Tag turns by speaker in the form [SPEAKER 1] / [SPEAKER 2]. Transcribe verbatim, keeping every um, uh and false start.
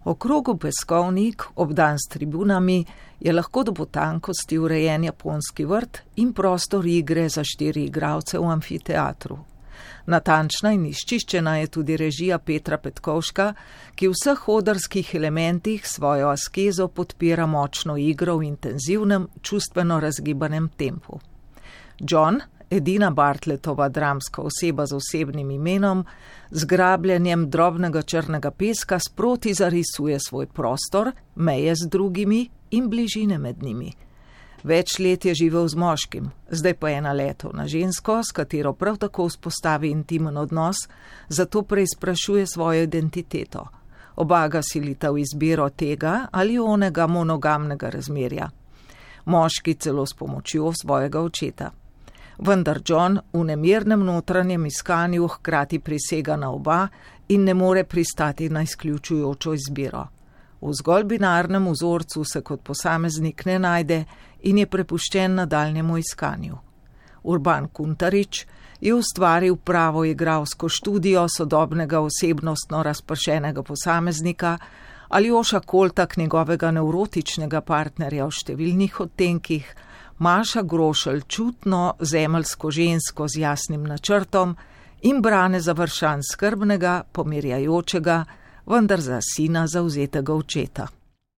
[SPEAKER 1] Okrogu peskovnik, obdan s tribunami, je lahko do potankosti urejen japonski vrt in prostor igre za štiri igralce v amfiteatru. Natančna in izčiščena je tudi režija Petra Petkovška, ki v vseh odrskih elementih svojo askezo podpira močno igro v intenzivnem, čustveno razgibanem tempu. John, edina Bartlettova dramska oseba z osebnim imenom, z grabljenjem drobnega črnega peska sproti zarisuje svoj prostor, meje z drugimi in bližine med njimi. Več let je živel z moškim, zdaj pa je naletel na žensko, s katero prav tako vzpostavi intimen odnos, zato preizprašuje svojo identiteto. Oba ga silita v izbiro tega ali onega monogamnega razmerja. Moški celo s pomočjo svojega očeta. Vendar John v nemirnem notranjem iskanju hkrati prisega na oba in ne more pristati na izključujočo izbiro. V zgolj binarnem vzorcu se kot posameznik ne najde in je prepuščen nadaljnjemu iskanju. Urban Kuntarič je ustvaril pravo igralsko študijo sodobnega osebnostno razpršenega posameznika, Aljoša Koltak njegovega nevrotičnega partnerja v številnih odtenkih, Maša Grošelj čutno zemeljsko žensko z jasnim načrtom in Brane Završan skrbnega, pomirjajočega, vendar za sina zavzetega očeta.